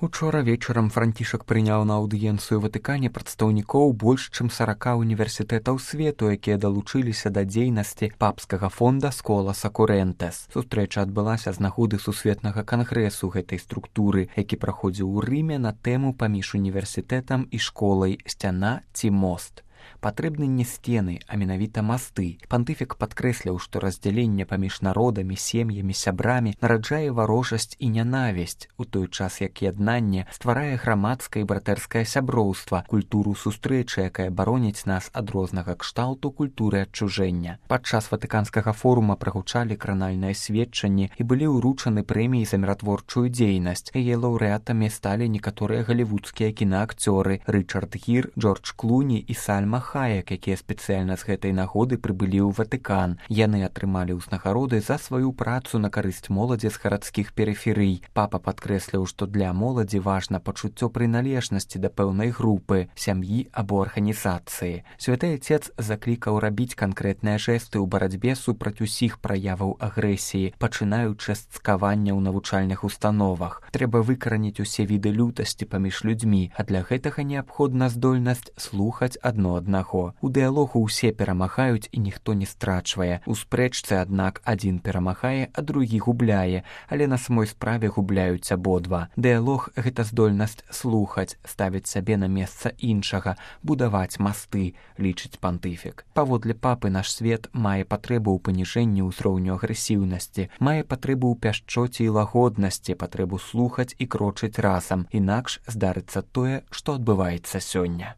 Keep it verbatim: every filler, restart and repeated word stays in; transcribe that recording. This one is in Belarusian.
Учора вечарам Францішак прыняў на аўдыенцыю ў Ватыкане прадстаўнікоў больш чым сарака універсітэтаў свету, якія далучыліся да дзейнасці папскага фонда Сколаса Курэнтэс. Сустрэча адбылася з нагоды сусветнага кангрэсу гэтай структуры, які праходзіў у Рыме на тэму паміж універсітэтам і школай «Сцяна ці мост». Патрэбны не сцены, а менавіта масты. Пантыфік падкрэсліў, што раздзяленне паміж народамі, сем'ямі, сябрамі нараджае варожасць і нянавісць, у той час як яднанне стварае грамадскае і братэрскае сяброўства, культуру сустрэчы, якая бароніць нас ад рознага кшталту культуры адчужэння. Падчас ватыканскага форума прагучалі кранальныя сведчанні і былі ўручаны прэміі за міратворчую дзейнасць. Яе лаўрэатамі сталі некаторыя галівудскія кінаакцёры Рычард Гір, Джордж Клуні і Сальма Хаек, якія спецыяльна з гэтай нагоды прыбылі ў Ватыкан. Яны атрымалі ўзнагароды за сваю працу на карысць моладзі з гарадскіх перыферый. Папа падкрэсліў, што для моладзі важна пачуццё прыналежнасці да пэўнай групы, сям'і або арганізацыі. Святы Отец заклікаў рабіць канкрэтныя жэсты ў барацьбе супраць усіх праяваў агрэсіі, пачынаючы з цкавання ў навучальных установах. Трэба выкараніць усе віды лютасці паміж людзьмі, а для гэтага неабходна здольнасць слухаць адно аднаго. У дыялогу ўсе перамагаюць і ніхто не страчвае. У спрэчцы, аднак, адзін перамагае, а другі губляе, але на самой справе губляюць абодва. Дыялог — гэта здольнасць слухаць, ставіць сябе на месца іншага, будаваць масты, лічыць пантыфік. Паводле папы наш свет мае патрэбу ў паніжэнні ўзроўню агрэсіўнасці, мае патрэбу ў пяшчоце і лагоднасці, патрэбу слухаць і крочыць разам, інакш здарыцца тое, што адбываецца сёння.